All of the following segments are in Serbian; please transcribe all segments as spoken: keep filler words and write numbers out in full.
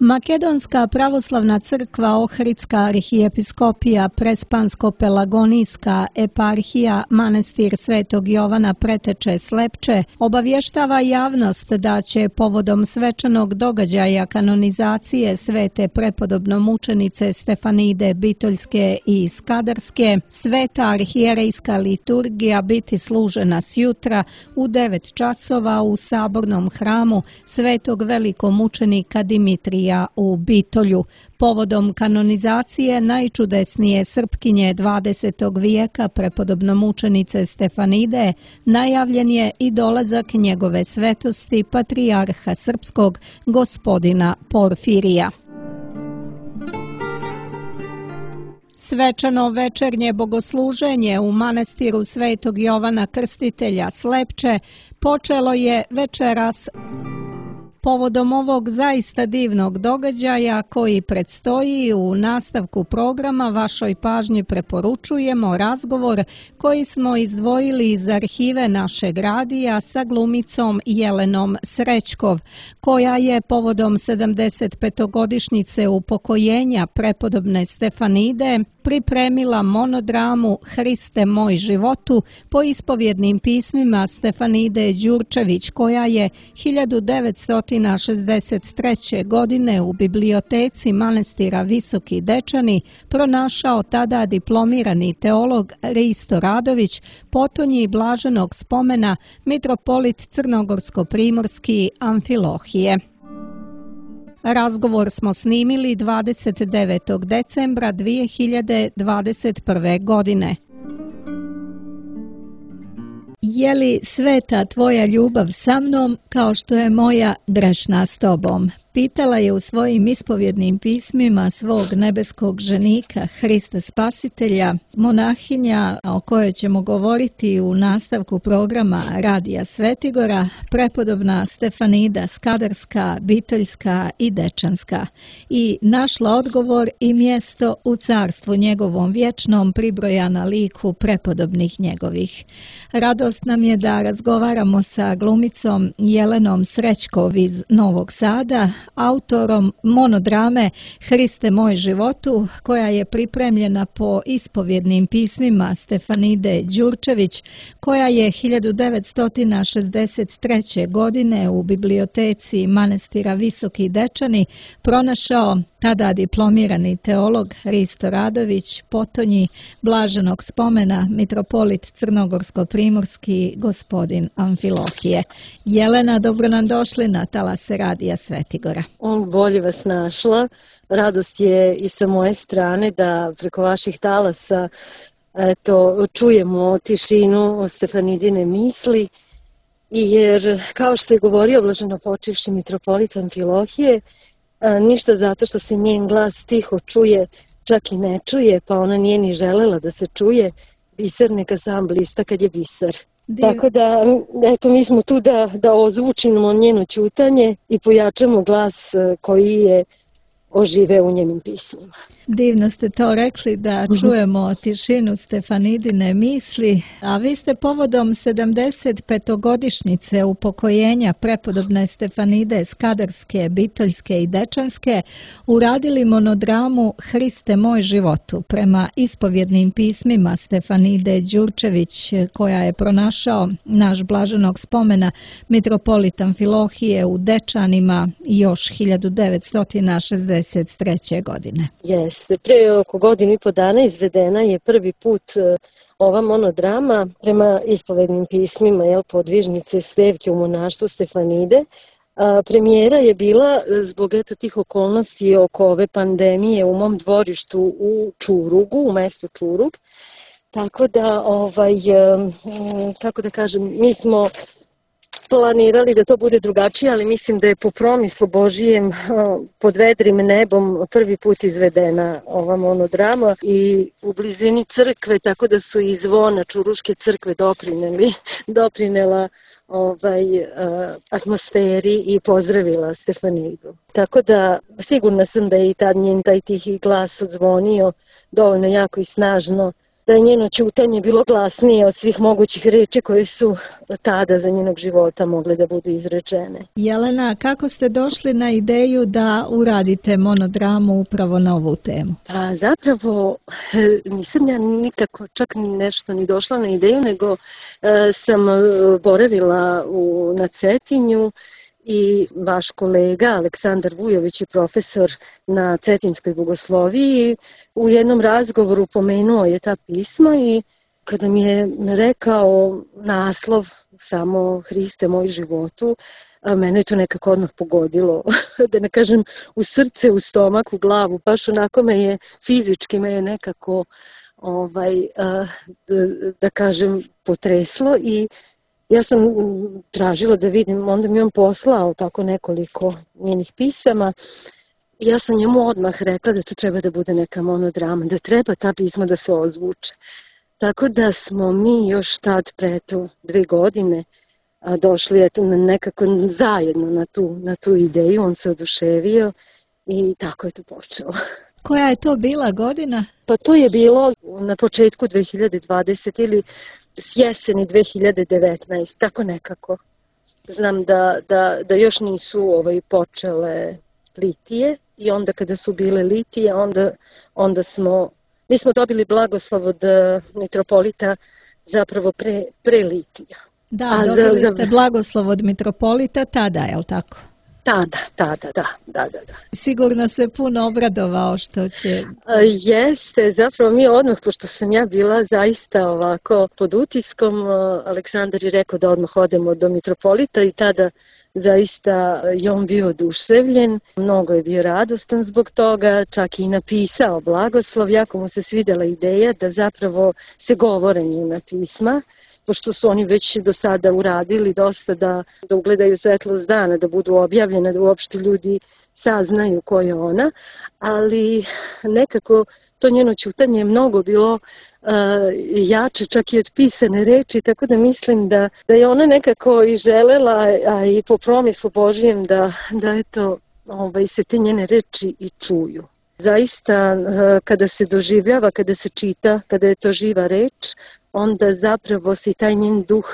Makedonska pravoslavna crkva Ohridska arhijepiskopija Prespansko-Pelagonijska eparhija Manastir Svetog Jovana Preteče Slepče obavještava javnost da će povodom svečanog događaja kanonizacije svete prepodobnomučenice Stefanide Bitoljske i Skadarske sveta arhijerejska liturgija biti služena sjutra u devet časova u sabornom hramu Svetog velikomučenika Dimitrija u Bitolju. Povodom kanonizacije najčudesnije Srpkinje dvadesetog vijeka prepodobnomučenice Stefanide najavljen je i dolazak njegove svetosti patrijarha srpskog gospodina Porfirija. Svečano večernje bogosluženje u manastiru Svetog Jovana Krstitelja Slepče počelo je večeras. Povodom ovog zaista divnog događaja koji predstoji u nastavku programa vašoj pažnji preporučujemo razgovor koji smo izdvojili iz arhive našeg radija sa glumicom Jelenom Srećkov, koja je povodom sedamdesetpetogodišnjice upokojenja prepodobne Stefanide pripremila monodramu Hriste moj životu po ispovjednim pismima Stefanide Đurčević, koja je hiljadu devetsto šezdeset treće. godine u biblioteci manastira Visoki Dečani pronašao tada diplomirani teolog Risto Radović, potonji blaženog spomena mitropolit Crnogorsko-primorski Amfilohije. Razgovor smo snimili dvadeset devetog decembra dvije hiljade dvadeset prve. godine. Je li sveta tvoja ljubav sa mnom kao što je moja grešna s tobom? Pitala je u svojim ispovjednim pismima svog nebeskog ženika Hrista Spasitelja, monahinja o kojoj ćemo govoriti u nastavku programa Radija Svetigora, prepodobna Stefanida Skadarska, Bitoljska i Dečanska, i našla odgovor i mjesto u carstvu njegovom vječnom pribrojana liku prepodobnih njegovih. Radost nam je da razgovaramo sa glumicom Jelenom Srećkov iz Novog Sada, autorom monodrame Hriste moj životu, koja je pripremljena po ispovjednim pismima Stefanide Đurčević, koja je hiljadu devetsto šezdeset treće. godine u biblioteci manastira Visoki Dečani pronašao tada diplomirani teolog Risto Radović, potonji blaženog spomena mitropolit Crnogorsko-primorski gospodin Amfilohije. Jelena, dobro nam došli na talase Radija Svetigora. On bolje vas našla. Radost je i sa moje strane da preko vaših talasa eto, čujemo tišinu Stefanidine misli, jer kao što je govorio blaženopočivši mitropolit Amfilohije, ništa zato što se njen glas tiho čuje, čak i ne čuje, pa ona nije ni želela da se čuje. Biser neka sam blista kad je biser. Div... Tako da, eto, mi smo tu da, da ozvučimo njeno ćutanje i pojačamo glas koji je ožive u njenim pismima. Divno ste to rekli, da čujemo tišinu Stefanidine misli, a vi ste povodom sedamdesetpetogodišnjice upokojenja prepodobne Stefanide Skadarske, Bitoljske i Dečanske uradili monodramu Hriste moj životu prema ispovjednim pismima Stefanide Đurčević, koja je pronašao naš blaženog spomena mitropolit Amfilohije u Dečanima još hiljadu devetsto šezdeset treće. godine. Yes. Pre oko godinu i po dana izvedena je prvi put ova monodrama prema ispovednim pismima jel, podvižnice Stevke u monaštvu Stefanide. A, premijera je bila zbog eto tih okolnosti oko ove pandemije u mom dvorištu u Čurugu, u mestu Čurug. Tako da, ovaj, kako da kažem, mi smo planirali da to bude drugačije, ali mislim da je po promislu Božijem pod vedrim nebom prvi put izvedena ova monodrama i u blizini crkve, tako da su i zvona Čuruške crkve doprineli, doprinela ovaj, atmosferi i pozdravila Stefanidu. Tako da sigurna sam da je i tad njen taj tihi glas odzvonio dovoljno jako i snažno da je njeno ćutanje bilo glasnije od svih mogućih reči koje su tada za njenog života mogle da budu izrečene. Jelena, kako ste došli na ideju da uradite monodramu upravo na ovu temu? Pa zapravo nisam ja nikako čak nešto ni došla na ideju, nego e, sam boravila u, na Cetinju i vaš kolega Aleksandar Vujović je profesor na Cetinskoj bogosloviji. U jednom razgovoru pomenuo je ta pisma i kada mi je rekao naslov samo Hriste moj životu, mene je to nekako odmah pogodilo, da ne kažem u srce, u stomak, u glavu, baš onako me je, fizički me je nekako, ovaj, da, da kažem, potreslo i ja sam tražila da vidim, onda mi on poslao tako nekoliko njenih pisama i ja sam njemu odmah rekla da to treba da bude neka monodrama, da treba ta pisma da se ozvuče. Tako da smo mi još tad pre to dve godine a došli eto, nekako zajedno na tu, na tu ideju, on se oduševio i tako je to počelo. Koja je to bila godina? Pa to je bilo na početku dve hiljade dvadesete ili s jeseni dve hiljade devetnaeste, tako nekako. Znam da, da, da još nisu ovaj, počele litije i onda kada su bile litije, onda, onda smo, mi smo dobili blagoslov od mitropolita zapravo pre, pre litija. Da, A dobili za, ste za... blagoslov od mitropolita tada, je li tako? Tada, tada, da, da, da, da. Sigurno se puno obradovao što će... A, jeste, zapravo mi odmah, pošto sam ja bila zaista ovako pod utiskom, Aleksandar je rekao da odmah odemo do mitropolita i tada zaista je on bio oduševljen, mnogo je bio radostan zbog toga, čak i napisao blagoslov, jako mu se svidela ideja da zapravo se govore njena pisma, pošto su oni već do sada uradili dosta da, da ugledaju svetlost dana, da budu objavljene, da uopšte ljudi saznaju ko je ona, ali nekako to njeno ćutanje je mnogo bilo uh, jače čak i od pisane reči, tako da mislim da, da je ona nekako i želela, a i po promislu Božijem da, da eto, ovaj, se te njene reči i čuju. Zaista kada se doživljava, kada se čita, kada je to živa reč, onda zapravo se taj njen duh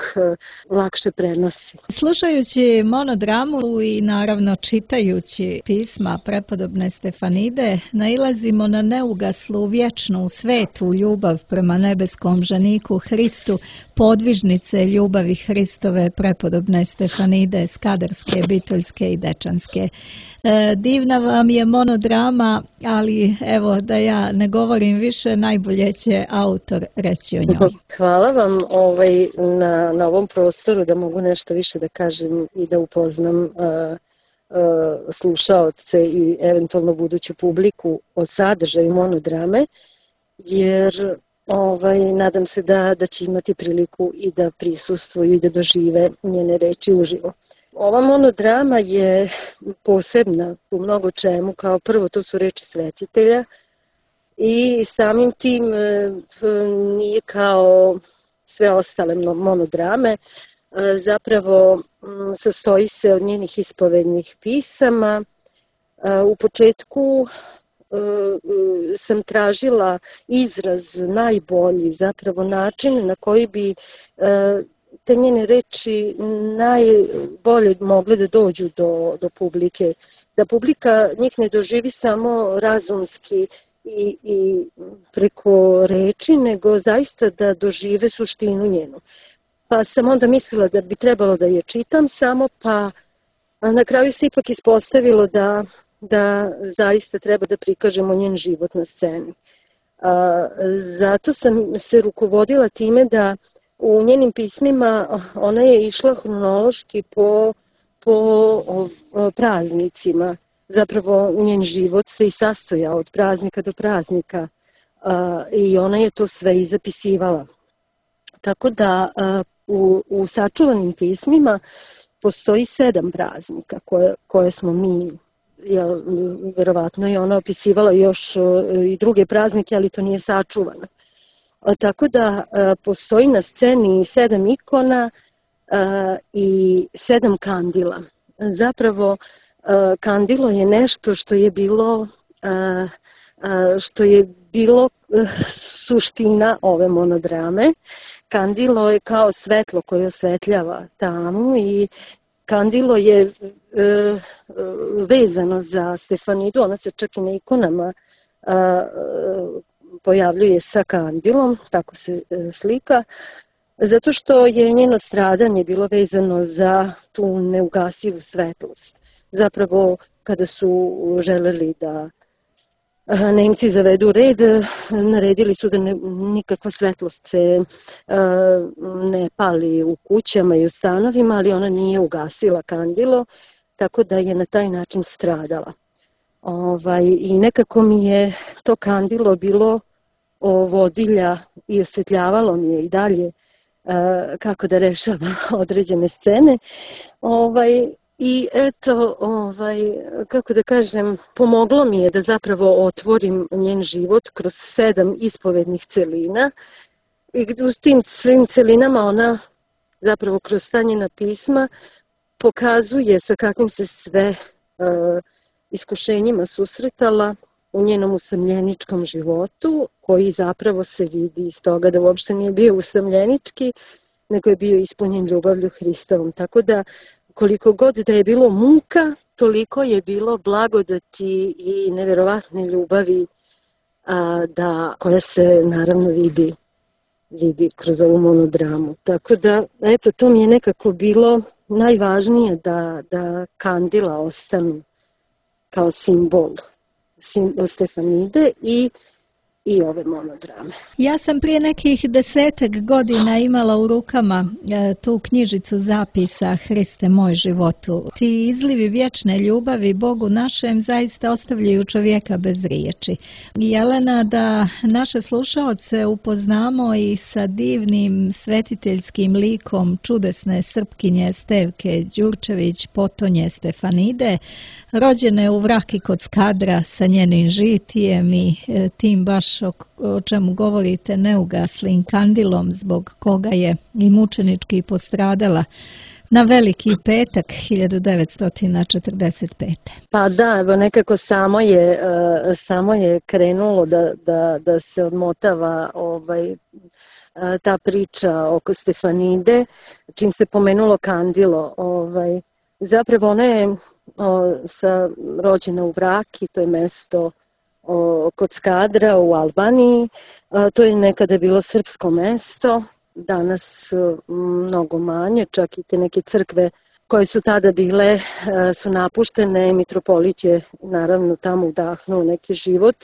lakše prenosi. Slušajući monodramu i naravno čitajući pisma prepodobne Stefanide, nailazimo na neugaslu, vječnu, svetu ljubav prema nebeskom ženiku Hristu, podvižnice ljubavi Hristove prepodobne Stefanide, Skadarske, Bitoljske i Dečanske. E, divna vam je monodrama, ali evo da ja ne govorim više, najbolje će autor reći o njoj. Hvala vam ovaj, na, na ovom prostoru da mogu nešto više da kažem i da upoznam uh, uh, slušaoce i eventualno buduću publiku o sadržaju monodrame, jer ovaj, nadam se da, da će imati priliku i da prisustvuju i da dožive njene reči uživo. Ova monodrama je posebna u mnogo čemu, kao prvo to su reči svetitelja i samim tim nije kao sve ostale monodrame, zapravo sastoji se od njenih ispovednih pisama. U početku sam tražila izraz najbolji, zapravo način na koji bi te njene reči najbolje mogle da dođu do, do publike. Da publika njih ne doživi samo razumski i, i preko reči, nego zaista da dožive suštinu njenu. Pa sam onda mislila da bi trebalo da je čitam samo, pa na kraju se ipak ispostavilo da, da zaista treba da prikažemo njen život na sceni. A, zato sam se rukovodila time da u njenim pismima ona je išla hronološki po, po o, o, praznicima. Zapravo njen život se i sastojao od praznika do praznika a, i ona je to sve i zapisivala. Tako da a, u, u sačuvanim pismima postoji sedam praznika koje, koje smo mi, jel, verovatno je ona opisivala još i druge praznike, ali to nije sačuvano. A, tako da a, postoji na sceni sedam ikona a, i sedam kandila. Zapravo kandilo je nešto što je bilo što je bilo suština ove monodrame. Kandilo je kao svetlo koje osvetljava tamu i kandilo je vezano za Stefanidu, ona se čak i na ikonama pojavljuje sa kandilom, tako se slika, zato što je njeno stradanje bilo vezano za tu neugasivu svetlost. Zapravo, kada su želeli da Nemci zavedu red, naredili su da ne, nikakva svetlost se ne pali u kućama i u stanovima, ali ona nije ugasila kandilo, tako da je na taj način stradala. Ovaj, I nekako mi je to kandilo bilo vodilja i osvetljavalo mi je i dalje kako da rešavam određene scene. Ovaj, I eto, ovaj, kako da kažem, pomoglo mi je da zapravo otvorim njen život kroz sedam ispovednih celina. I u tim svim celinama ona zapravo kroz ta njena pisma pokazuje sa kakvim se sve uh, iskušenjima susretala u njenom usamljeničkom životu, koji zapravo se vidi iz toga da uopšte nije bio usamljenički, nego je bio ispunjen ljubavlju Hristovom. Tako da koliko god da je bilo muka, toliko je bilo blagodati i neverovatne ljubavi a, da, koja se naravno vidi, vidi kroz ovu monodramu. Tako da, eto, to mi je nekako bilo najvažnije da, da kandila ostanu kao simbol, simbol Stefanide i i ove monodrame. Ja sam prije nekih desetak godina imala u rukama e, tu knjižicu zapisa Hriste moj životu. Ti izlivi vječne ljubavi Bogu našem zaista ostavljaju čovjeka bez riječi. Jelena, da naše slušaoce upoznamo i sa divnim svetiteljskim likom čudesne Srpkinje Stevke Đurčević, potonje Stefanide, rođene u Vraki kod Skadra sa njenim žitijem i e, tim baš o, o čemu govorite neugaslim kandilom zbog koga je i mučenički postradala na Veliki petak hiljadu devetsto četrdeset pete. Pa da, evo nekako samo je, samo je krenulo da, da, da se odmotava ovaj, ta priča oko Stefanide, čim se pomenulo kandilo. Ovaj, zapravo ona je o, sa, rođena u Vraki, to je mesto O, kod Skadra u Albaniji. A, to je nekada bilo srpsko mesto, danas a, mnogo manje, čak i te neke crkve koje su tada bile a, su napuštene, mitropolit je naravno tamo udahnuo neki život,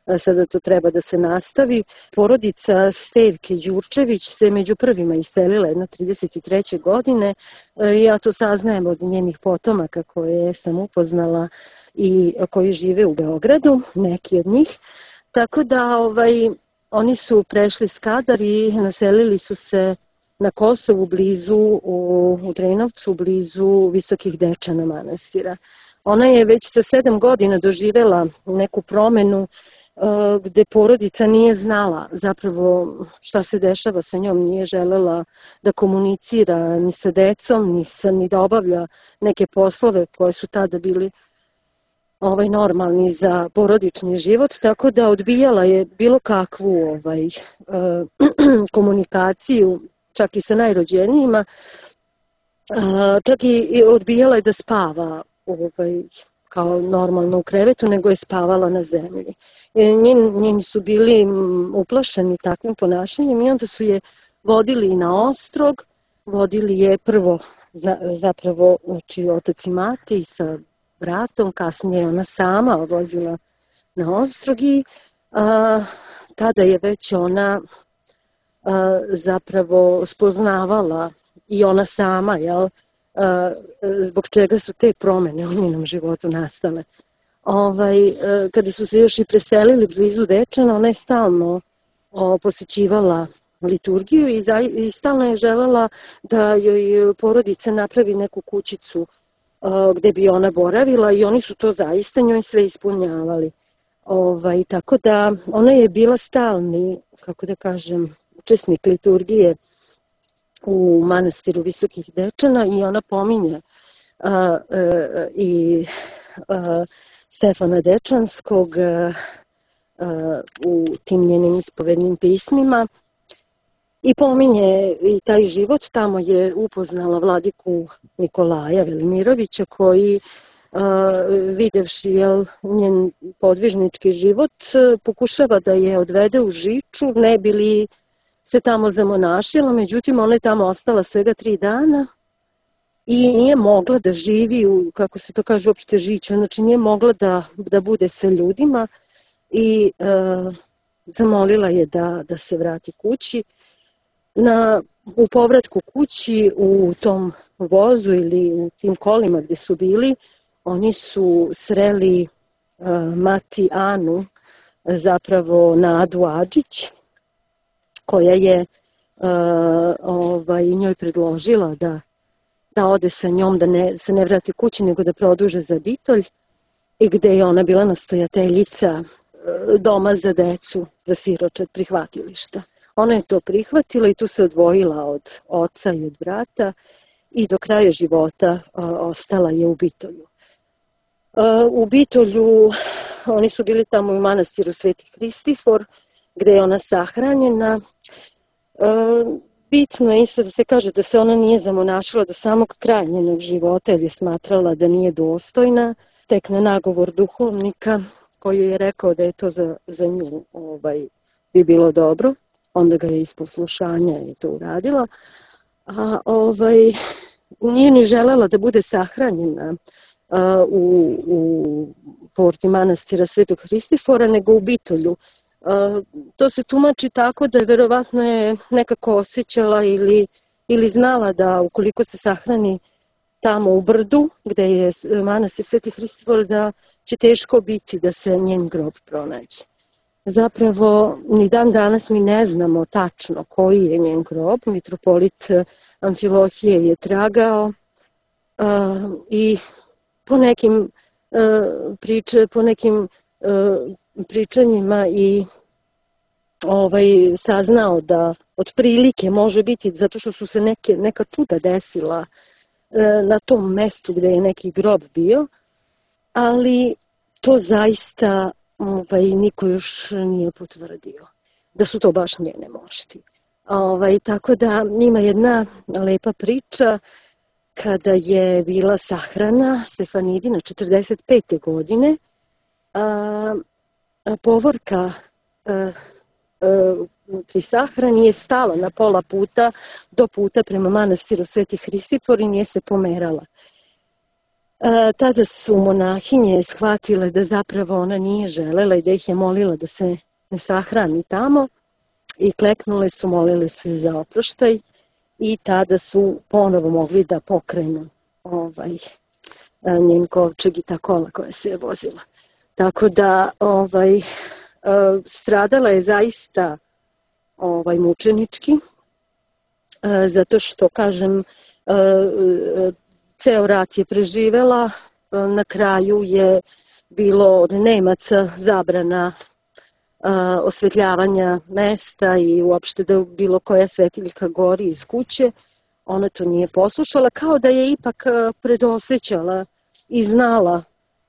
a, sada to treba da se nastavi. Porodica Stevke Đurčević se među prvima iselila jedno trideset treće godine a, i ja to saznajem od njenih potomaka koje sam upoznala i koji žive u Beogradu, neki od njih. Tako da ovaj, oni su prešli Skadar i naselili su se na Kosovu blizu, u, u Drenovcu, blizu Visokih Dečana manastira. Ona je već sa sedam godina doživela neku promenu uh, gde porodica nije znala zapravo šta se dešava sa njom, nije želela da komunicira ni sa decom, ni, sa, ni da obavlja neke poslove koje su tada bili ovaj normalni za porodični život, tako da odbijala je bilo kakvu ovaj, komunikaciju, čak i sa najrođenijima, čak i odbijala je da spava ovaj, kao normalno u krevetu, nego je spavala na zemlji. Njeni, njeni su bili uplašeni takvim ponašanjem i onda su je vodili na ostrog, vodili je prvo zapravo znači, otac i mati sa bratom, kasnije je ona sama odlazila na ostrog i a, tada je već ona a, zapravo spoznavala i ona sama, jel, a, zbog čega su te promene u njenom životu nastale. Ovaj, a, kada su se još i preselili blizu Dečana, ona je stalno o, posećivala liturgiju i, za, i stalno je želela da joj porodica napravi neku kućicu gde bi ona boravila i oni su to zaista njoj sve ispunjavali. Ovaj, tako da ona je bila stalni, kako da kažem, učesnik liturgije u manastiru Visokih Dečana i ona pominje a, a, i a, Stefana Dečanskog, a, u tim njenim ispovednim pismima i pominje i taj život. Tamo je upoznala vladiku Nikolaja Velimirovića koji videvši jel, njen podvižnički život pokušava da je odvede u Žiču, ne bi li se tamo zamonašila, međutim ona je tamo ostala svega tri dana i nije mogla da živi u, kako se to kaže, uopšte Žiču, znači nije mogla da, da bude sa ljudima i e, zamolila je da, da se vrati kući. Na, u povratku kući u tom vozu ili u tim kolima gde su bili, oni su sreli uh, mati Anu, zapravo Nadu Adžić, koja je uh, ovaj, njoj predložila da, da ode sa njom, da ne, se ne vrati kući, nego da produže za Bitolj, i gde je ona bila nastojateljica uh, doma za decu, za siročad prihvatilišta. Ona je to prihvatila i tu se odvojila od oca i od brata i do kraja života uh, ostala je u Bitolju. U Bitolju, oni su bili tamo u manastiru Sveti Hristifor, gde je ona sahranjena. Bitno je isto da se kaže da se ona nije zamonašila do samog kraja njenog života, jer je smatrala da nije dostojna. Tek na nagovor duhovnika, koji je rekao da je to za, za nju ovaj, bi bilo dobro, onda ga je iz poslušanja je to uradila. A ovaj, nije ni želela da bude sahranjena U, u porti manastira Svetog Hristifora, nego u Bitolju. To se tumači tako da je verovatno je nekako osjećala ili, ili znala da ukoliko se sahrani tamo u brdu, gde je manastir Sveti Hristifor, da će teško biti da se njen grob pronađe. Zapravo, ni dan danas mi ne znamo tačno koji je njen grob. Mitropolit Amfilohije je tragao uh, i po nekim, uh, priče, po nekim uh, pričanjima i ovaj, saznao da otprilike može biti, zato što su se neke, neka čuda desila uh, na tom mestu gde je neki grob bio, ali to zaista ovaj, niko još nije potvrdio, da su to baš njene mošti. Ovaj, tako da ima jedna lepa priča kada je bila sahrana Stefanidina četrdeset pete godine, a, a povorka a, a, pri sahrani je stala na pola puta do puta prema manastiru Sveti Hristifor i nije se pomerala. A, tada su monahinje shvatile da zapravo ona nije želela i da ih je molila da se ne sahrani tamo i kleknule su, molile su je za oproštaj. I tada su ponovo mogli da pokrenu ovaj, njen kovčeg i ta kola koja se je vozila. Tako da ovaj, stradala je zaista ovaj, mučenički, zato što, kažem, ceo rat je preživela, na kraju je bilo od Nemaca zabrana osvetljavanja mesta i uopšte da bilo koja svetiljka gori iz kuće. Ona to nije poslušala, kao da je ipak predosećala i znala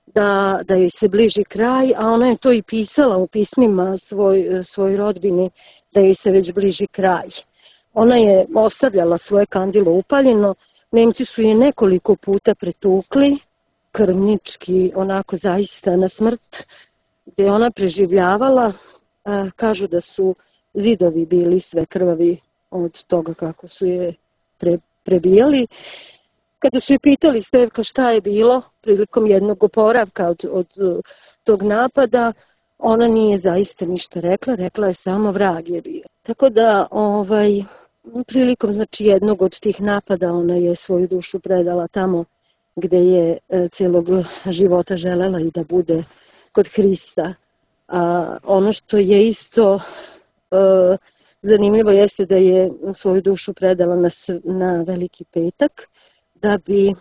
da, da joj se bliži kraj, a ona je to i pisala u pismima svoj, svoj rodbini, da joj se već bliži kraj. Ona je ostavljala svoje kandilo upaljeno, Nemci su je nekoliko puta pretukli, krvnički, onako zaista na smrt, gde je ona preživljavala. A, kažu da su zidovi bili sve krvavi od toga kako su je pre, prebijali. Kada su je pitali Stevka šta je bilo prilikom jednog oporavka od, od tog napada, ona nije zaista ništa rekla, rekla je samo vrag je bio. Tako da ovaj, prilikom znači, jednog od tih napada ona je svoju dušu predala tamo gde je e, celog života želela i da bude kod Hrista. A ono što je isto e, zanimljivo jeste da je svoju dušu predala na, na Veliki petak, da bi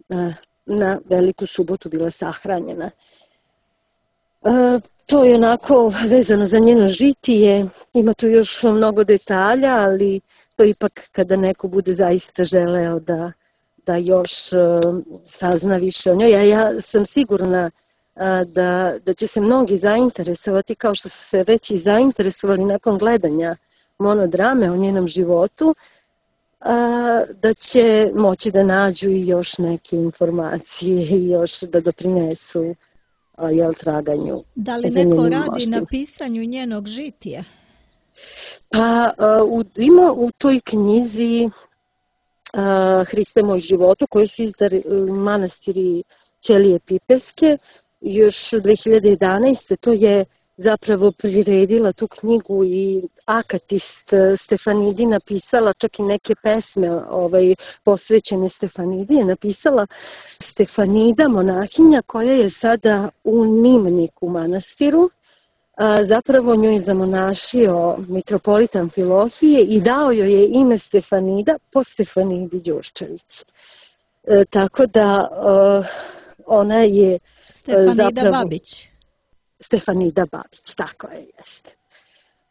na, na Veliku subotu bila sahranjena. E, to je onako vezano za njeno žitije, ima tu još mnogo detalja, ali to ipak kada neko bude zaista želeo da, da još e, sazna više o njoj. Ja, ja sam sigurna da, da će se mnogi zainteresovati, kao što su se već i zainteresovali nakon gledanja monodrame o njenom životu, da će moći da nađu i još neke informacije i još da doprinesu jel, traganju. Da li neko radi mošti. Na pisanju njenog žitija? Pa u, ima u toj knjizi uh, Hriste moj životu, koju su izdali manastiri Ćelije Pipeske, još dve hiljade jedanaeste. To je zapravo priredila tu knjigu i akatist Stefanidi, napisala čak i neke pesme ovaj, posvećene Stefanidi, je napisala Stefanida, monahinja, koja je sada u Nimniku manastiru. A, zapravo nju je zamonašio mitropolit Amfilohije i dao joj je ime Stefanida po Stefanidi Đurčević. E, tako da e, ona je Stefanida zapravo... Babić. Stefanida Babić, tako je, jeste.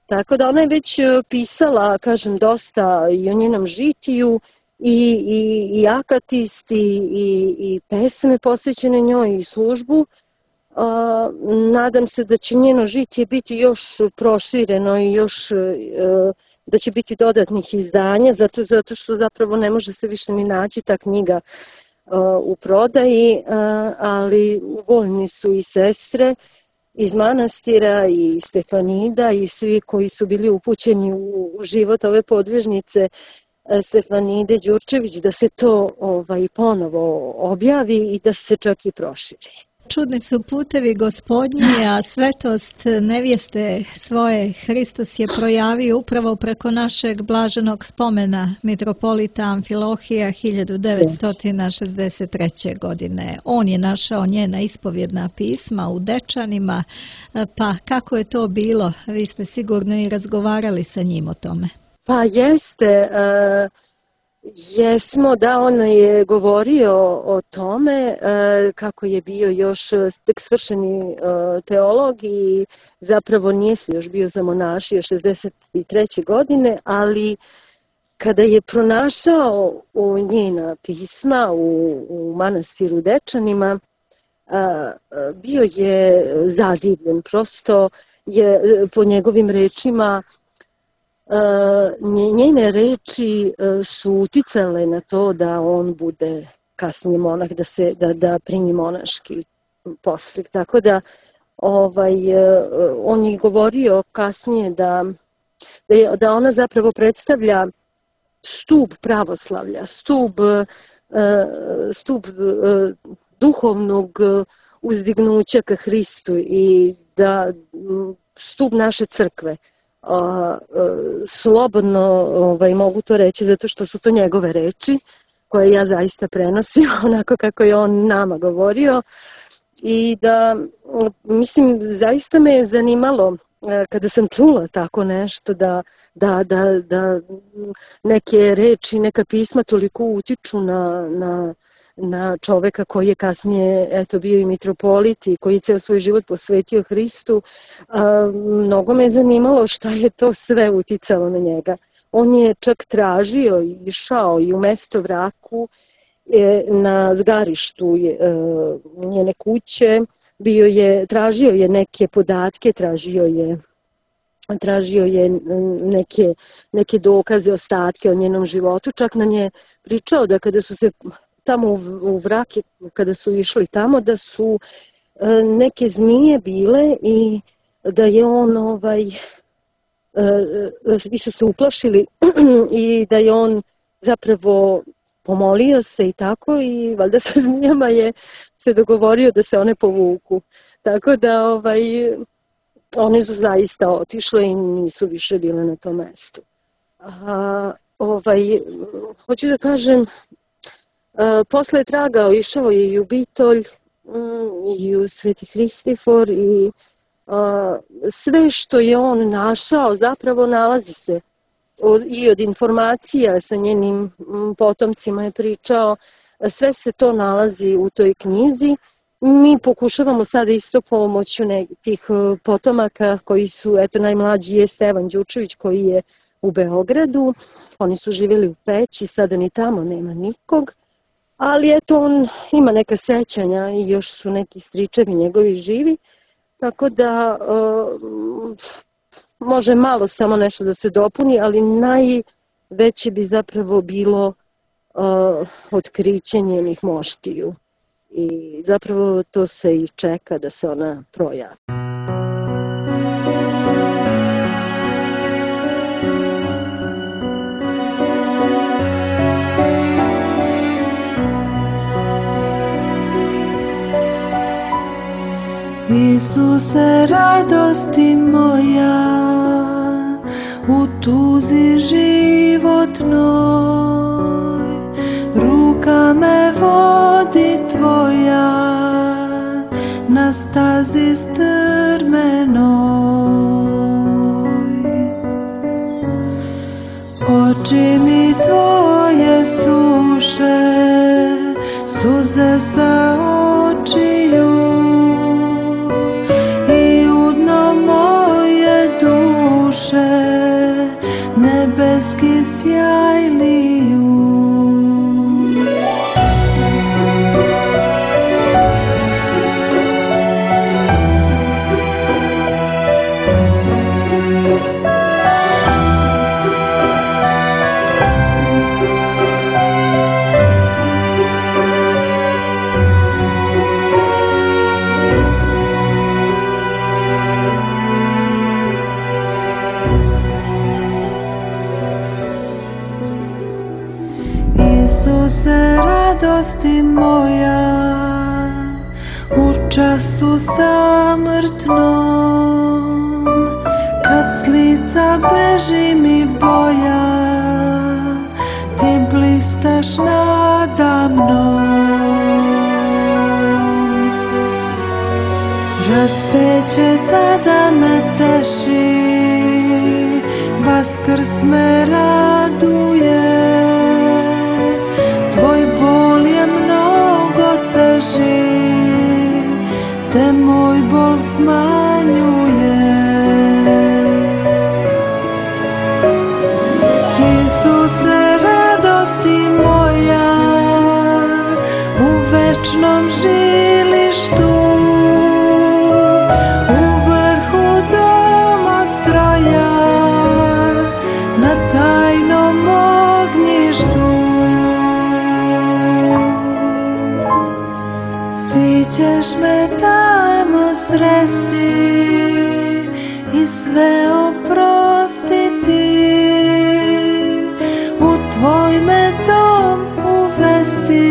Tako da ona je već pisala, kažem, dosta i o njenom žitiju i, i, i akatist i, i, i pesme posvećene njoj i službu. Uh, nadam se da će njeno žitije biti još prošireno i još uh, da će biti dodatnih izdanja, zato, zato što zapravo ne može se više ni naći ta knjiga uh, u prodaji, uh, ali voljni su i sestre iz manastira i Stefanida i svi koji su bili upućeni u život ove podvižnice Stefanide Đurčević da se to ovaj, ponovo objavi i da se čak i proširi. Čudni su putevi Gospodnji, a svetost nevjeste svoje Hristos je projavio upravo preko našeg blaženog spomena mitropolita Amfilohija hiljadu devetsto šezdeset treće. godine. On je našao njena ispovjedna pisma u Dečanima, pa kako je to bilo? Vi ste sigurno i razgovarali sa njim o tome. Pa jeste, uh... Jesmo, da, on je govorio o tome kako je bio još tek svršeni teolog i zapravo nije se još bio zamonašio šezdeset treće. godine, ali kada je pronašao u njena pisma u, u manastiru Dečanima, bio je zadivljen, prosto je po njegovim rečima njene reči su uticale na to da on bude kasnije monah, da se da, da primi monaški poslig. Tako da ovaj, on je govorio kasnije da, da, je, da ona zapravo predstavlja stub pravoslavlja, stub, stub duhovnog uzdignuća ka Hristu i da stub naše crkve. Uh, uh, slobodno ovaj, mogu to reći zato što su to njegove reči koje ja zaista prenosim onako kako je on nama govorio i da mislim zaista me je zanimalo uh, kada sam čula tako nešto da, da, da, da neke reči, neka pisma toliko utiču na, na na čoveka koji je kasnije eto, bio i mitropolit i koji je ceo svoj život posvetio Hristu. A, mnogo me je zanimalo šta je to sve uticalo na njega. On je čak tražio i išao i u mesto Vraku je, na zgarištu je, njene kuće, bio je, tražio je neke podatke, tražio je tražio je neke, neke dokaze, ostatke o njenom životu. Čak nam je pričao da kada su se tamo u Vrake, kada su išli tamo, da su neke zmije bile i da je on ovaj, i su se uplašili i da je on zapravo pomolio se i tako i valjda sa zmijama je se dogovorio da se one povuku. Tako da ovaj, one su zaista otišle i nisu više bile na tom mestu. A, ovaj, hoću da kažem, Uh, posle je tragao, išao je i u Bitolj um, i u Sveti Hristifor i uh, sve što je on našao zapravo nalazi se od, i od informacija sa njenim um, potomcima je pričao, sve se to nalazi u toj knjizi. Mi pokušavamo sada isto pomoću tih uh, potomaka koji su, eto najmlađi je Stevan Đurčević koji je u Beogradu, oni su živjeli u Peći, sada ni tamo nema nikog. ali eto on ima neka sećanja i još su neki stričevi njegovi živi, tako da uh, može malo samo nešto da se dopuni, ali najveće bi zapravo bilo uh, otkriće njenih moštiju i zapravo to se i čeka da se ona projavi. Isuse, radosti moja, u tuzi životnoj, ruka me vodi tvoja, na stazi strmenoj. Oči mi tvoje suše, suze sa očiju, nebeski sjaj liju. Radosti moja, u času samrtnom, kad s lica beži mi boja, ti blistaš nada mnom. Raspeće tada me teši, Vaskrs me raduje, tvoj bol je mnogo teži, te moj bol smanjuje. Isuse, radosti moja, u večnom žilištu, u vrhu domostroja, na tajnom ognjištu. Ti ćeš me tamo sresti i sve oprostiti, u tvoj me dom uvesti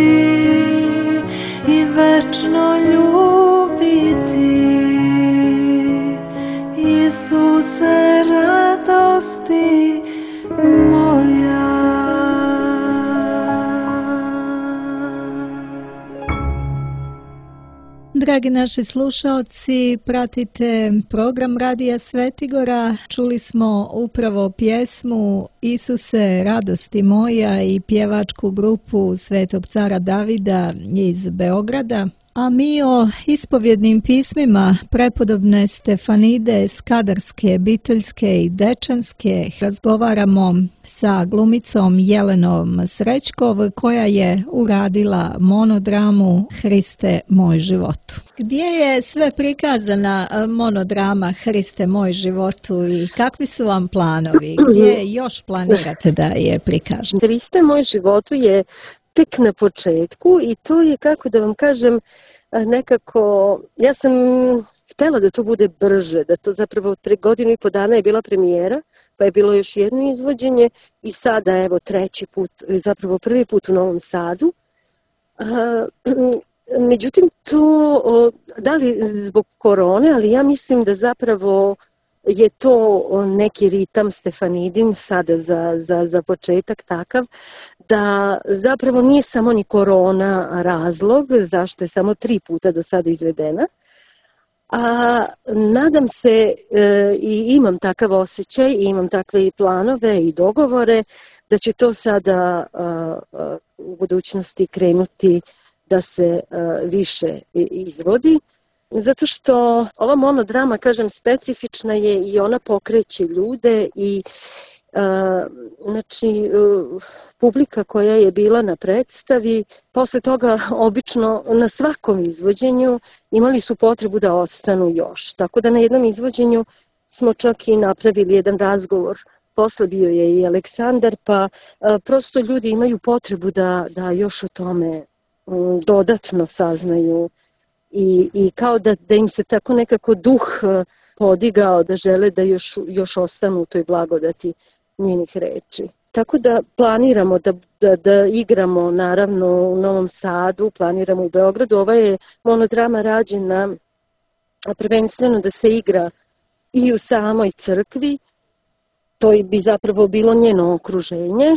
i večno ljubiti. Isuse, radosti moja. Dragi naši slušaoci, pratite program Radija Svetigora. Čuli smo upravo pjesmu Isuse, radosti moja i pjevačku grupu Svetog cara Davida iz Beograda. A mi o ispovjednim pismima prepodobne Stefanide Skadarske, Bitoljske i Dečanske razgovaramo sa glumicom Jelenom Srećkov, koja je uradila monodramu Hriste moj životu. Gdje je sve prikazana monodrama Hriste moj životu i kakvi su vam planovi? Gdje još planirate da je prikažete? Hriste moj životu je tek na početku i to je, kako da vam kažem, nekako, ja sam htjela da to bude brže, da to zapravo pre godinu i po dana je bila premijera, pa je bilo još jedno izvođenje i sada evo treći put, zapravo prvi put u Novom Sadu. Međutim, to, da li zbog korone, ali ja mislim da zapravo je to neki ritam Stefanidin sada za, za, za početak takav, da zapravo nije samo ni korona razlog zašto je samo tri puta do sada izvedena. A nadam se e, i imam takav osjećaj i imam takve i planove i dogovore da će to sada a, a, u budućnosti krenuti da se a, više izvodi. Zato što ova monodrama, kažem, specifična je i ona pokreće ljude i Znači, publika koja je bila na predstavi, posle toga obično na svakom izvođenju imali su potrebu da ostanu još. Tako da na jednom izvođenju smo čak i napravili jedan razgovor. Posle bio je i Aleksandar, pa prosto ljudi imaju potrebu da, da još o tome dodatno saznaju i, i kao da, da im se tako nekako duh podigao, da žele da još, još ostanu u toj blagodati njenih reči. Tako da planiramo da, da, da igramo naravno u Novom Sadu, planiramo u Beogradu. Ova je monodrama rađena prvenstveno da se igra i u samoj crkvi, to bi zapravo bilo njeno okruženje,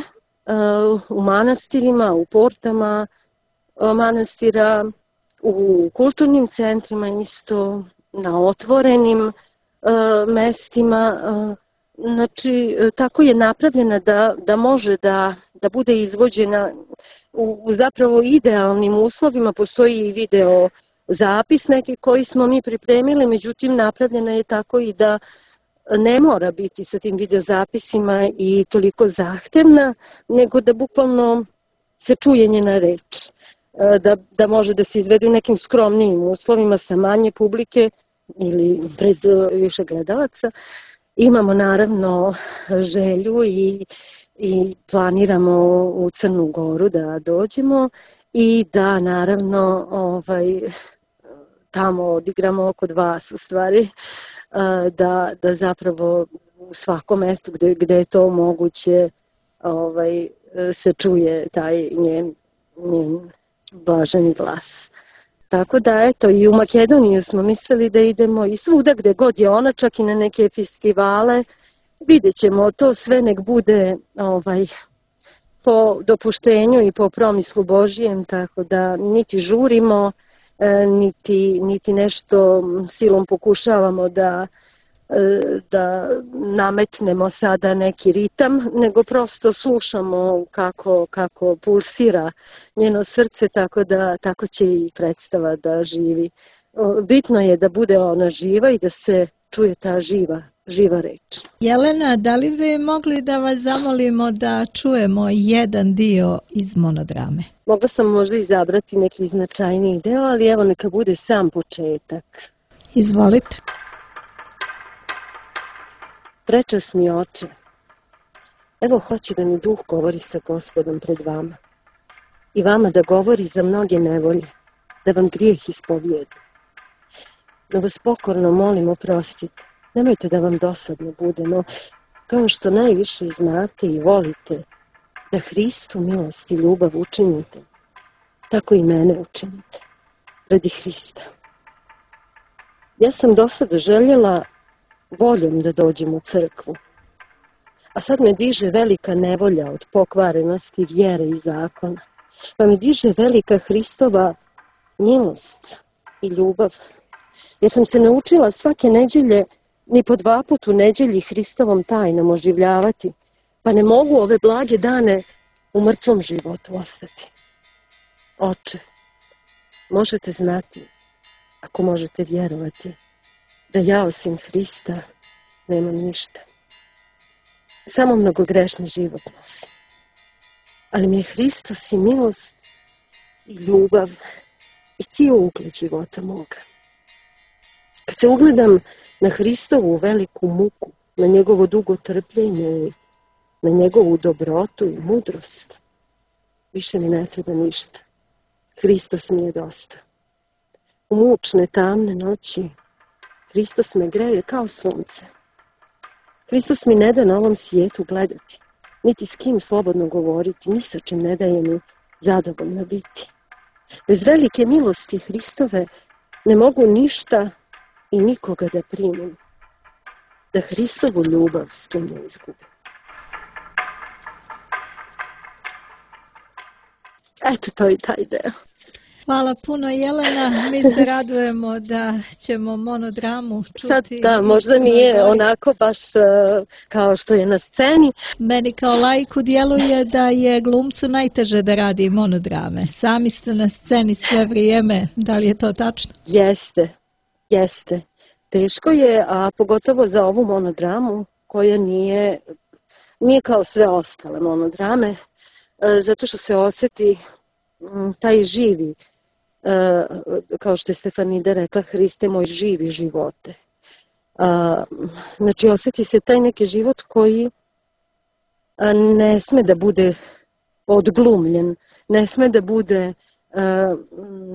u manastirima, u portama manastira, u kulturnim centrima isto, na otvorenim mestima. Znači, tako je napravljena da, da može da, da bude izvođena u, u zapravo idealnim uslovima. Postoji i video zapis neki koji smo mi pripremili, međutim napravljena je tako i da ne mora biti sa tim videozapisima i toliko zahtevna, nego da bukvalno se čuje njena reč. Da, da može da se izvede u nekim skromnijim uslovima sa manje publike ili pred više gledalaca. Imamo naravno želju i, i planiramo u Crnu Goru da dođemo i da naravno ovaj, tamo odigramo kod vas u stvari, da, da zapravo u svakom mestu gde, gde je to moguće ovaj, se čuje taj njen, njen blaženi glas. Tako da, eto, i u Makedoniju smo mislili da idemo i svuda gde god je ona, čak i na neke festivale. Vidjet ćemo, to sve nek bude ovaj, po dopuštenju i po promislu Božijem, tako da niti žurimo, niti, niti nešto silom pokušavamo da, da nametnemo sada neki ritam, nego prosto slušamo kako, kako pulsira njeno srce, tako da tako će i predstava da živi. Bitno je da bude ona živa i da se čuje ta živa, živa reč. Jelena, da li bi mogli da vas zamolimo da čujemo jedan dio iz monodrame? Mogla sam možda izabrati neki značajniji deo, ali evo neka bude sam početak. Izvolite. Prečasni oče, evo hoće da mi duh govori sa Gospodom pred vama i vama da govori za mnoge nevolje, da vam grijeh ispovijedi. Da vas pokorno molim oprostite, nemojte da vam dosadno bude, no kao što najviše znate i volite da Hristu milost i ljubav učinite, tako i mene učinite, radi Hrista. Ja sam do sada željela voljom da dođem u crkvu, a sad me diže velika nevolja od pokvarenosti vjere i zakona, pa me diže velika Hristova milost i ljubav, jer sam se naučila svake neđelje ni po dva put u neđelji Hristovom tajnom oživljavati, pa ne mogu ove blage dane u mrtvom životu ostati. Oče, možete znati, ako možete vjerovati, da ja osim Hrista nemam ništa. Samo mnogogrešni život nosim. Ali mi je Hristos i milost i ljubav i cijel ugled života moga. Kad se ugledam na Hristovu veliku muku, na njegovo dugo trpljenje i na njegovu dobrotu i mudrost, više mi ne treba ništa. Hristos mi je dosta. U mučne, tamne noći Hristos me greje kao sunce. Hristos mi ne da na ovom svijetu gledati, niti s kim slobodno govoriti, ni sa čim ne daje mi zadovoljno biti. Bez velike milosti Hristove ne mogu ništa i nikoga da primim, da Hristovu ljubav s kim ne izgubim. Eto, to je taj deo. Hvala puno, Jelena. Mi se radujemo da ćemo monodramu čuti. Sad da, možda nije onako baš uh, kao što je na sceni. Meni kao laiku djeluje da je glumcu najteže da radi monodrame. Sami ste na sceni sve vrijeme. Da li je to tačno? Jeste, jeste. Teško je, a pogotovo za ovu monodramu koja nije nije kao sve ostale monodrame, zato što se osjeti taj živi, kao što je Stefanida rekla, Hriste moj živi živote. Znači osjeti se taj neki život koji ne sme da bude odglumljen, ne sme da bude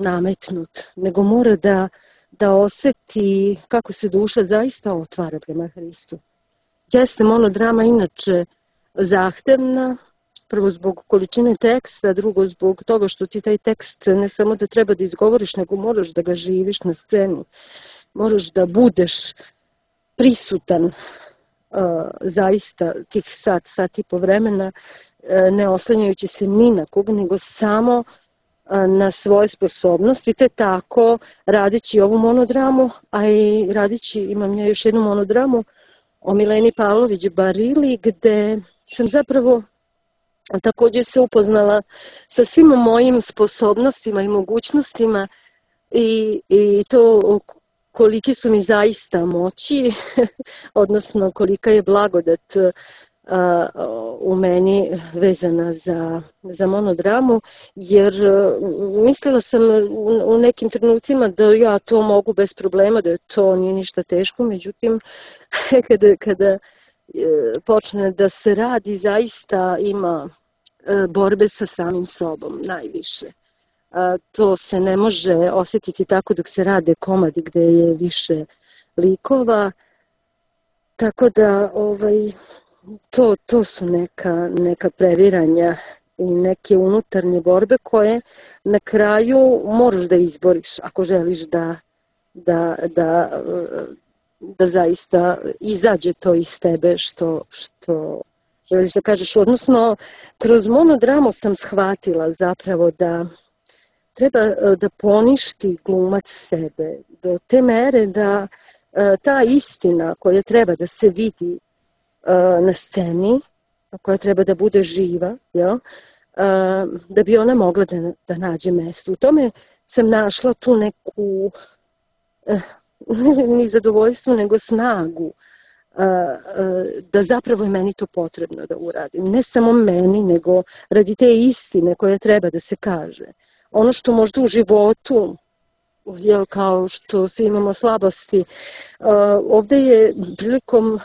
nametnut, nego mora da, da osjeti kako se duša zaista otvara prema Hristu. Jeste monodrama inače zahtevna, prvo zbog količine teksta, drugo zbog toga što ti taj tekst ne samo da treba da izgovoriš, nego moraš da ga živiš na sceni. Moraš da budeš prisutan uh, zaista tih sat, sat i po vremena, uh, ne oslanjajući se ni na koga, nego samo uh, na svoje sposobnosti, te tako radeći ovu monodramu, a i radeći, imam ja još jednu monodramu o Mileni Pavlović Barili, gde sam zapravo također se upoznala sa svim mojim sposobnostima i mogućnostima i, i to koliki su mi zaista moći, odnosno kolika je blagodat a, u meni vezana za, za monodramu, jer mislila sam u, u nekim trenucima da ja to mogu bez problema, da to nije ništa teško, međutim kada, kada počne da se radi, zaista ima borbe sa samim sobom najviše. To se ne može osjetiti tako dok se rade komadi gde je više likova, tako da ovaj, to, to su neka, neka previranja i neke unutarnje borbe koje na kraju moraš da izboriš ako želiš da, da, da da zaista izađe to iz tebe što, što želiš da kažeš. Odnosno, kroz monodramu sam shvatila zapravo da treba da poništi glumac sebe do te mere da ta istina koja treba da se vidi na sceni, koja treba da bude živa, jel? Da bi ona mogla da, da nađe mesto. U tome sam našla tu neku ni zadovoljstvo, nego snagu da zapravo je meni to potrebno da uradim. Ne samo meni, nego radi te istine koje treba da se kaže. Ono što možda u životu, jel, kao što svi imamo slabosti, ovdje je prilikom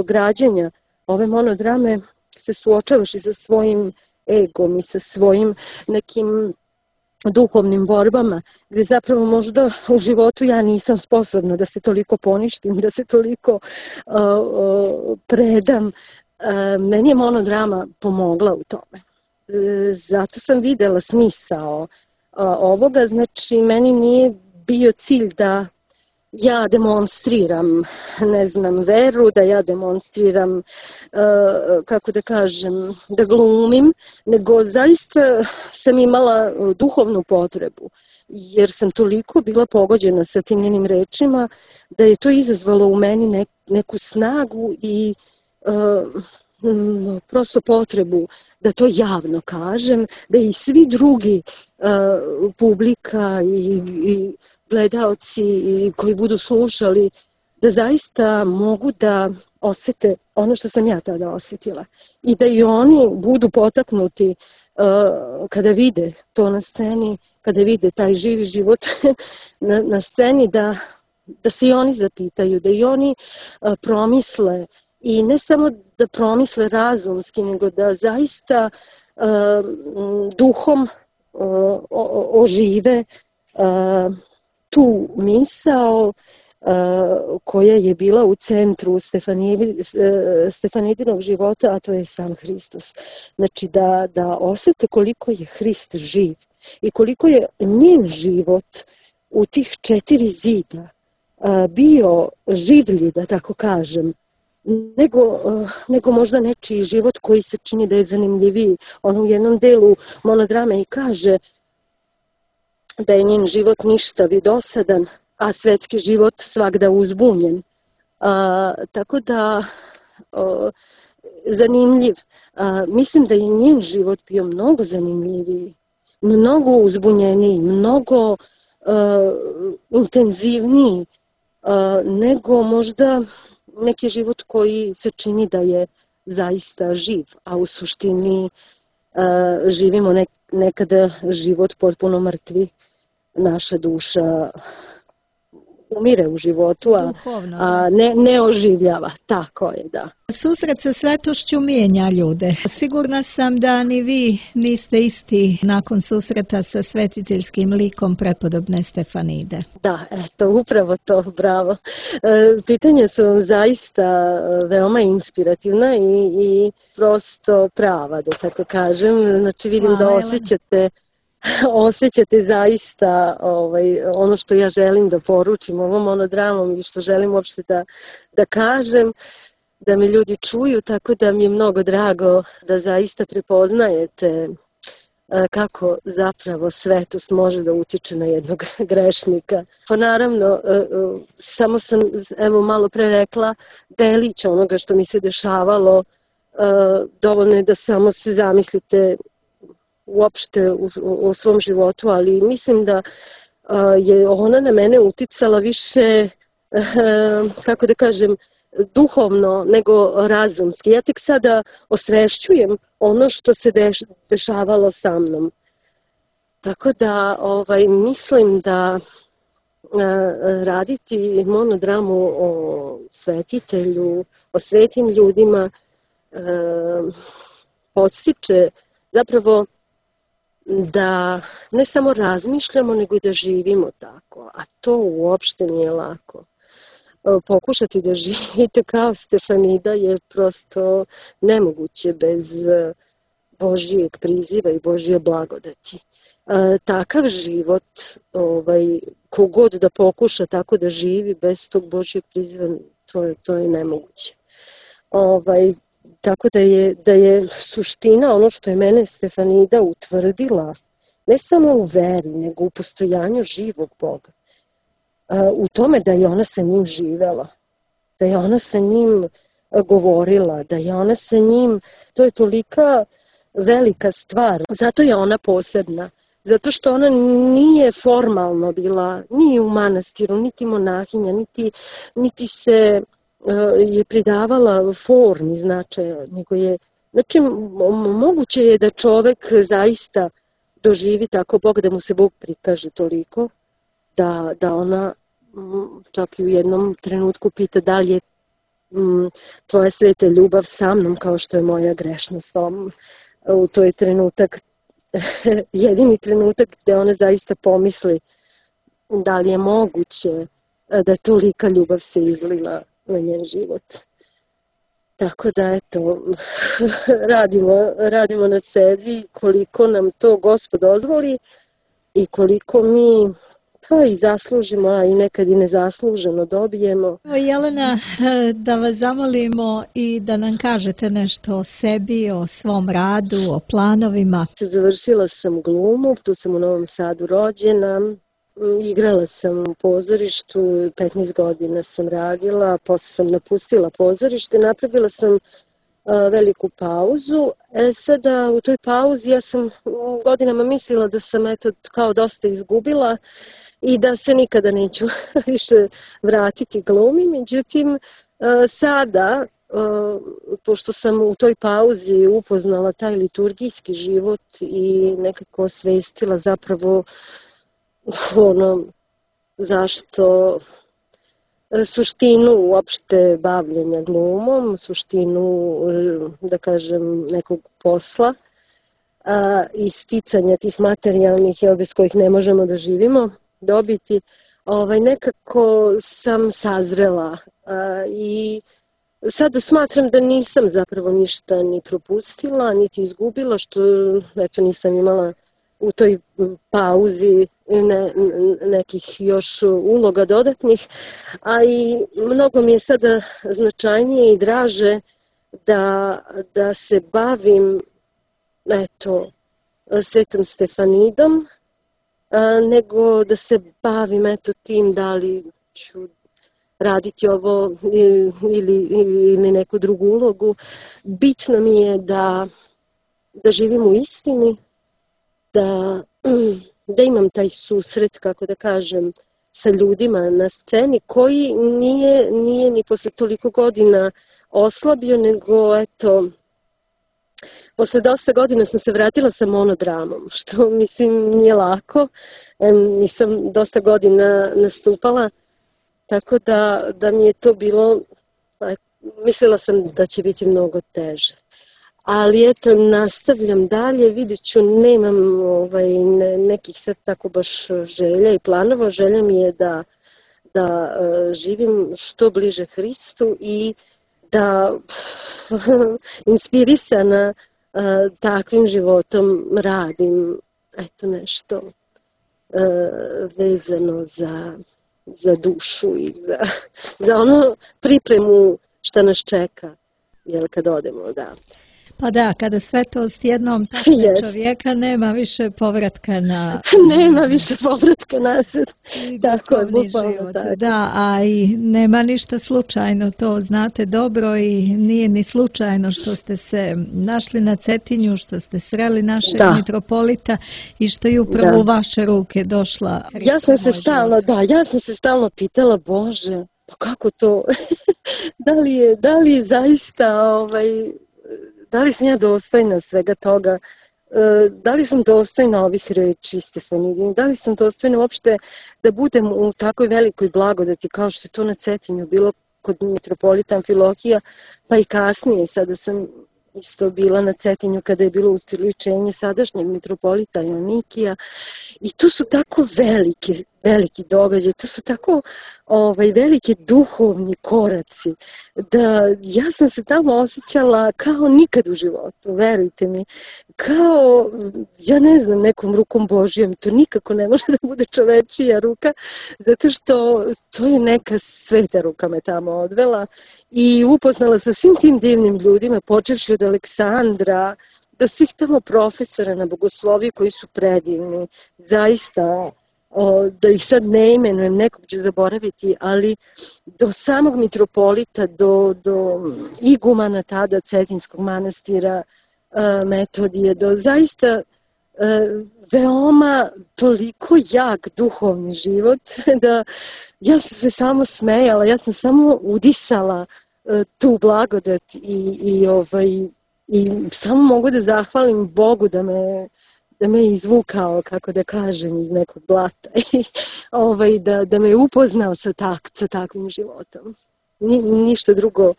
građenja ove monodrame se suočavaš i sa svojim egom i sa svojim nekim duhovnim borbama, gdje zapravo možda u životu ja nisam sposobna da se toliko poništim, da se toliko uh, uh, predam. Uh, meni je monodrama pomogla u tome. Uh, zato sam videla smisao uh, ovoga, znači meni nije bio cilj da ja demonstriram, ne znam, veru, da ja demonstriram, kako da kažem, da glumim, nego zaista sam imala duhovnu potrebu, jer sam toliko bila pogođena sa tim njenim rečima, da je to izazvalo u meni neku snagu i prosto potrebu da to javno kažem, da i svi drugi publika i, i gledaoci koji budu slušali, da zaista mogu da osjete ono što sam ja tada osjetila. I da i oni budu potaknuti uh, kada vide to na sceni, kada vide taj živi život na, na sceni, da, da se i oni zapitaju, da i oni uh, promisle. I ne samo da promisle razumski, nego da zaista uh, duhom uh, o, ožive uh, tu misao uh, koja je bila u centru Stefanidinog života, a to je sam Hristos. Znači da, da osjete koliko je Hrist živ i koliko je njen život u tih četiri zida uh, bio življi, da tako kažem, nego, uh, nego možda nečiji život koji se čini da je zanimljiviji. On u jednom delu monodrame i kaže da je njen život ništav i dosadan, a svetski život svagda uzbunjen. A, tako da, o, zanimljiv. A, mislim da je njen život bio mnogo zanimljiviji, mnogo uzbunjeniji, mnogo a, intenzivniji, a, nego možda neki život koji se čini da je zaista živ, a u suštini a, živimo nek, nekada život potpuno mrtvi, naša duša umire u životu, a, Duhovno, a ne, ne oživljava. Tako je, da. Susret sa svetošću mijenja ljude. Sigurna sam da ni vi niste isti nakon susreta sa svetiteljskim likom prepodobne Stefanide. Da, eto, upravo to, bravo. E, pitanja su vam zaista veoma inspirativna i, i prosto prava, da tako kažem. Znači vidim Hvala, da Jelena. osjećate osjećate zaista ovaj, ono što ja želim da poručim ovom monodramom i što želim uopšte da, da kažem, da me ljudi čuju, tako da mi je mnogo drago da zaista prepoznajete kako zapravo svetost može da utiče na jednog grešnika. Pa naravno, samo sam evo malo pre rekla delić onoga što mi se dešavalo, dovoljno je da samo se zamislite uopšte u, u svom životu, ali mislim da je ona na mene uticala više, kako da kažem, duhovno nego razumski. Ja tek sada osvešćujem ono što se deš, dešavalo sa mnom. Tako da ovaj, mislim da raditi monodramu o svetitelju, o svetim ljudima podstiče zapravo da ne samo razmišljamo, nego i da živimo tako, a to uopšte nije lako. Pokušati da živite kao Stefanida je prosto nemoguće bez Božijeg priziva i Božije blagodati. Takav život, ovaj, kogod da pokuša tako da živi bez tog Božijeg priziva, to je, to je nemoguće. Ovaj, Tako da je, da je suština ono što je mene Stefanida utvrdila, ne samo u veri, nego u postojanju živog Boga. U tome da je ona sa njim živela, da je ona sa njim govorila, da je ona sa njim, to je tolika velika stvar. Zato je ona posebna, zato što ona nije formalno bila ni u manastiru, niti monahinja, niti, niti se je pridavala formi značaja, nego je, znači moguće je da čovek zaista doživi tako Bog, da mu se Bog prikaže toliko, da, da ona čak i u jednom trenutku pita da li je m, tvoja sveta ljubav sa mnom kao što je moja grešna s tobom. U to je trenutak, jedini trenutak gde ona zaista pomisli da li je moguće da tolika ljubav se izlila na njen život. Tako da, eto, radimo, radimo na sebi koliko nam to Gospod dozvoli i koliko mi pa i zaslužimo, a i nekad i nezasluženo dobijemo. Jelena, da vas zamolimo i da nam kažete nešto o sebi, o svom radu, o planovima. Završila sam glumu, tu sam u Novom Sadu rođena. Igrala sam u pozorištu, petnaest godina sam radila, posle sam napustila pozorište, napravila sam a, veliku pauzu. E sada u toj pauzi ja sam godinama mislila da sam eto kao dosta izgubila i da se nikada neću više vratiti glumi. Međutim, a, sada, a, pošto sam u toj pauzi upoznala taj liturgijski život i nekako osvestila zapravo ono, zašto suštinu uopšte bavljenja glumom, suštinu, da kažem, nekog posla a, i sticanja tih materijalnih, jel, bez kojih ne možemo da živimo, dobiti, ovaj, nekako sam sazrela a, i sada smatram da nisam zapravo ništa ni propustila, niti izgubila, što eto nisam imala u toj pauzi ne, nekih još uloga dodatnih, a i mnogo mi je sada značajnije i draže da, da se bavim eto, Svetom Stefanidom, a, nego da se bavim eto tim da li ću raditi ovo ili, ili neku drugu ulogu. Bitno mi je da, da živim u istini, da, da imam taj susret, kako da kažem, sa ljudima na sceni koji nije, nije ni posle toliko godina oslabio, nego eto, posle dosta godina sam se vratila sa monodramom, što mislim nije lako, nisam dosta godina nastupala, tako da, da mi je to bilo, mislila sam da će biti mnogo teže. Ali eto, nastavljam dalje, vidjet ću, nemam ovaj, ne, nekih sad tako baš želja i planova. Želja mi je da, da uh, živim što bliže Hristu i da inspirisana uh, takvim životom radim eto nešto uh, vezano za, za dušu i za, za ono pripremu šta nas čeka, jel, kad odemo, da. Pa da, kada svetost jednom takve yes. čovjeka, nema više povratka na... nema više povratka nazad. Tako je, bukvalno tako. Da, a i nema ništa slučajno, to znate dobro i nije ni slučajno što ste se našli na Cetinju, što ste sreli našeg da. mitropolita i što je upravo da. u vaše ruke došla Hrista. Ja sam se stalno, da, ja sam se stalno pitala, Bože, pa kako to, da li je, da li je zaista, ovaj, da li sam ja dostojna svega toga, da li sam dostojna ovih reči Stefanidine, da li sam dostojna uopšte da budem u takvoj velikoj blagodati kao što je to na Cetinju bilo kod mitropolita Amfilohija, pa i kasnije, sada sam isto bila na Cetinju kada je bilo ustoličenje sadašnjeg mitropolita Joanikija i to su tako velike, veliki događaj, to su tako ovaj, velike duhovni koraci, da ja sam se tamo osjećala kao nikad u životu, verujte mi, kao, ja ne znam, nekom rukom Božijom, to nikako ne može da bude čovečija ruka, zato što to je neka sveta ruka me tamo odvela i upoznala sa svim tim divnim ljudima, počevši od Aleksandra, do svih tamo profesora na bogosloviji koji su predivni, zaista, o, da ih sad ne imenujem, nekog ću zaboraviti, ali do samog mitropolita, do, do igumana tada Cetinskog manastira, a, Metodije, do zaista a, veoma toliko jak duhovni život, da ja sam se samo smejala, ja sam samo udisala a, tu blagodat i, i ovaj, i samo mogu da zahvalim Bogu da me, da me izvukao, kako da kažem, iz nekog blata i ovaj, da, da me upoznao sa, tak, sa takvim životom. Ni, ništa drugo,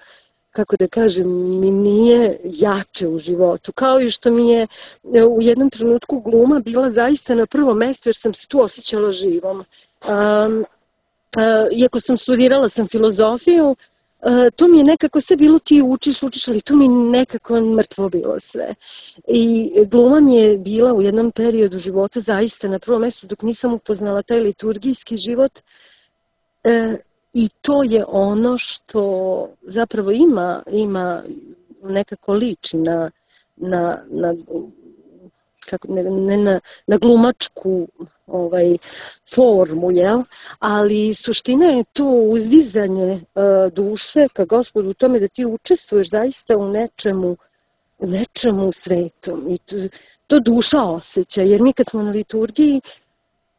kako da kažem, mi nije jače u životu. Kao i što mi je u jednom trenutku gluma bila zaista na prvom mestu jer sam se tu osjećala živom. Um, uh, iako sam studirala sam filozofiju, Uh, to mi je nekako sve bilo ti učiš, učiš, ali tu mi nekako mrtvo bilo sve. I gluma mi je bila u jednom periodu života zaista na prvom mjestu dok nisam upoznala taj liturgijski život. Uh, I to je ono što zapravo ima, ima nekako liči na, na, na kako, ne, ne na, na glumačku ovaj, formu, jel? Ali suština je to uzdizanje uh, duše ka Gospodu u tome da ti učestvuješ zaista u nečemu, u nečemu svetom. I to, to duša osjeća, jer mi kad smo na liturgiji,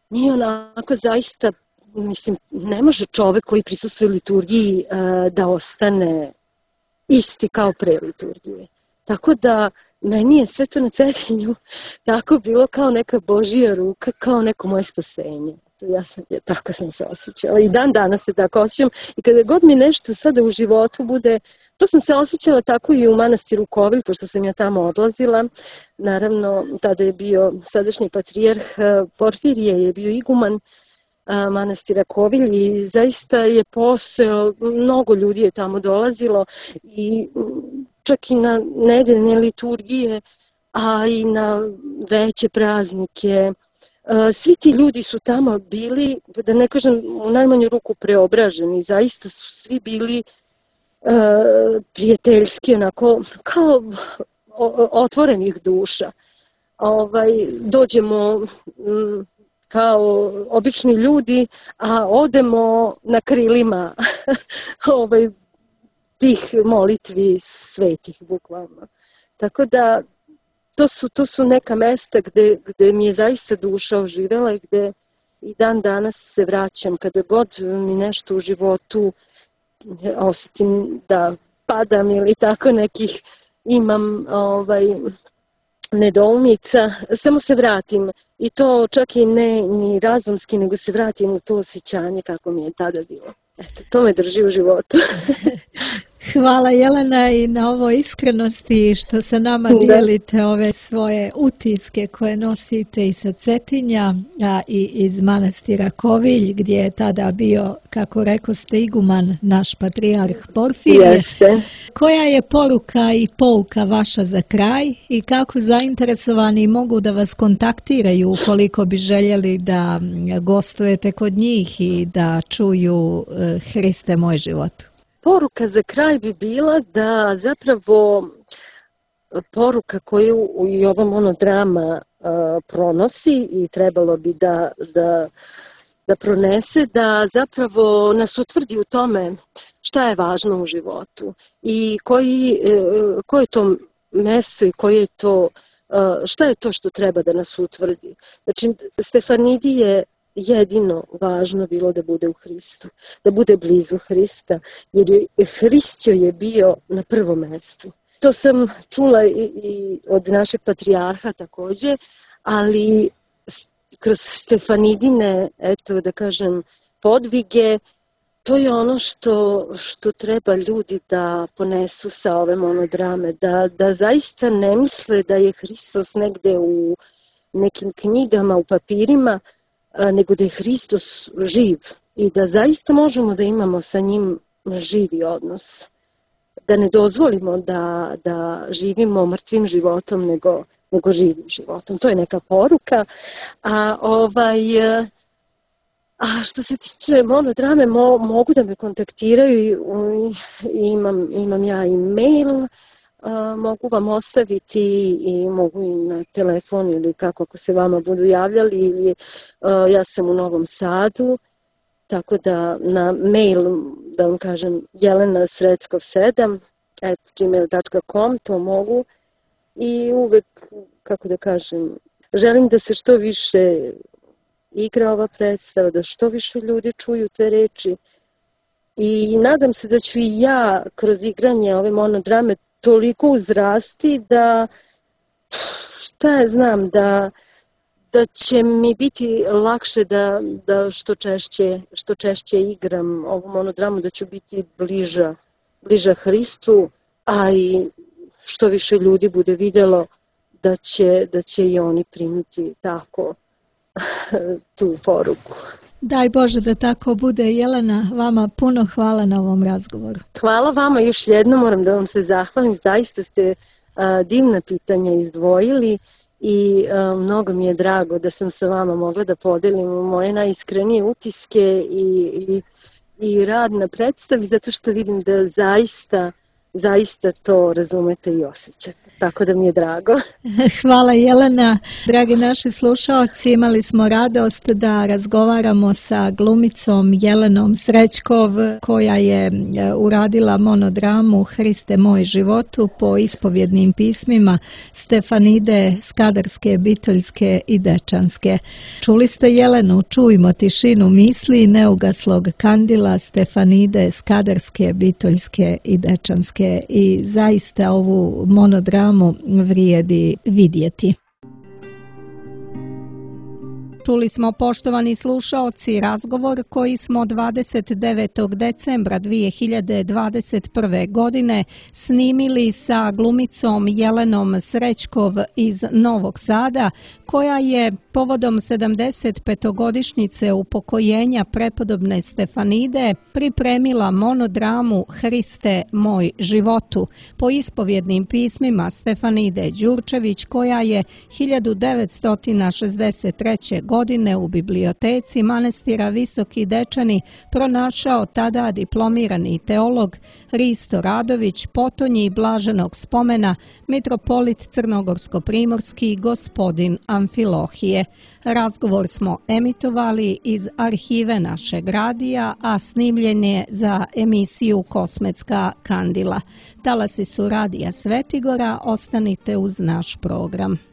mi onako zaista, mislim, ne može čovek koji prisustvuje liturgiji uh, da ostane isti kao pre liturgije. Tako da meni je sve to na Cetinju tako bilo kao neka Božija ruka, kao neko moje spasenje. Ja sam, ja, tako sam se osjećala i dan danas se tako osjećam i kada god mi nešto sada u životu bude, to sam se osjećala tako i u manastiru Kovilj, pošto sam ja tamo odlazila. Naravno, tada je bio sadašnji patrijarh Porfirije, je bio iguman manastira Kovilj i zaista je postojalo, mnogo ljudi je tamo dolazilo i čak i na nedeljne liturgije, a i na veće praznike. Svi ti ljudi su tamo bili, da ne kažem u najmanju ruku preobraženi, zaista su svi bili uh, prijateljski, onako kao otvorenih duša. Ovaj, dođemo um, kao obični ljudi, a odemo na krilima ovaj, tih molitvi svetih, bukvalno. Tako da to su, to su neka mesta gde, gde mi je zaista duša oživela i gde i dan danas se vraćam kada god mi nešto u životu osjetim da padam ili tako nekih imam ovaj, nedoumica, samo se vratim i to čak i ne ni razumski, nego se vratim u to osjećanje kako mi je tada bilo. Eto, to me drži u životu. Hvala Jelena i na ovoj iskrenosti što sa nama dijelite ove svoje utiske koje nosite i sa Cetinja, a i iz manastira Kovilj, gdje je tada bio, kako rekoste, iguman naš patrijarh Porfirije. Jeste. Koja je poruka i pouka vaša za kraj i kako zainteresovani mogu da vas kontaktiraju ukoliko bi željeli da gostujete kod njih i da čuju Hriste moj život? Poruka za kraj bi bila da zapravo poruka koju i ova monodrama uh, pronosi i trebalo bi da, da, da pronese, da zapravo nas utvrdi u tome šta je važno u životu i koji, uh, koje je to mesto i koje je to, uh, šta je to što treba da nas utvrdi. Znači, Stefanidi je jedino važno bilo da bude u Hristu, da bude blizu Hrista, jer je Hrist joj je bio na prvom mjestu. To sam čula i, i od našeg patrijarha također, ali kroz Stefanidine, eto da kažem, podvige, to je ono što, što treba ljudi da ponesu sa ove monodrame, da, da zaista ne misle da je Hristos negde u nekim knjigama, u papirima, nego da je Hristos živ i da zaista možemo da imamo sa njim živi odnos. Da ne dozvolimo da, da živimo mrtvim životom nego, nego živim životom. To je neka poruka. A, ovaj, a što se tiče monodrame, mo, mogu da me kontaktiraju i imam, imam ja i mail. Uh, mogu vam ostaviti i mogu i na telefon ili kako ako se vama budu javljali ili uh, ja sam u Novom Sadu, tako da na mail da vam kažem jelena sreckov sedam at gmail dot com to mogu i uvek, kako da kažem, želim da se što više igra ova predstava, da što više ljudi čuju te reči i nadam se da ću i ja kroz igranje ove monodrame toliko uzrasti da, šta ja znam, da, da će mi biti lakše da, da što, češće, što češće igram ovu monodramu, da ću biti bliža, bliža Hristu, a i što više ljudi bude vidjelo da će, da će i oni primiti tako tu poruku. Daj Bože da tako bude. Jelena, vama puno hvala na ovom razgovoru. Hvala vama još jednom, moram da vam se zahvalim, zaista ste a, divna pitanja izdvojili i a, mnogo mi je drago da sam sa vama mogla da podelim moje najiskrenije utiske i, i, i rad na predstavi, zato što vidim da zaista zaista to razumete i osjećate. Tako da mi je drago. Hvala Jelena. Dragi naši slušaoci, imali smo radost da razgovaramo sa glumicom Jelenom Srećkov, koja je uradila monodramu Hriste moj životu po ispovjednim pismima Stefanide Skadarske, Bitoljske i Dečanske. Čuli ste Jelenu, čujmo tišinu misli neugaslog kandila Stefanide Skadarske, Bitoljske i Dečanske. I zaista ovu monodramu vrijedi vidjeti. Čuli smo, poštovani slušaoci, razgovor koji smo dvadeset devetog decembra dvije hiljade dvadeset prve. godine snimili sa glumicom Jelenom Srećkov iz Novog Sada, koja je povodom sedamdesetpetogodišnjice upokojenja prepodobne Stefanide pripremila monodramu Hriste moj životu po ispovjednim pismima Stefanide Đurčević, koja je hiljadu devetsto šezdeset treće. godine u biblioteci manastira Visoki Dečani pronašao tada diplomirani teolog Risto Radović, potonji blaženog spomena mitropolit crnogorsko-primorski gospodin Amfilohije. Razgovor smo emitovali iz arhive našeg radija, a snimljen je za emisiju Kosmetska kandila. Talasi su radija Svetigora, ostanite uz naš program.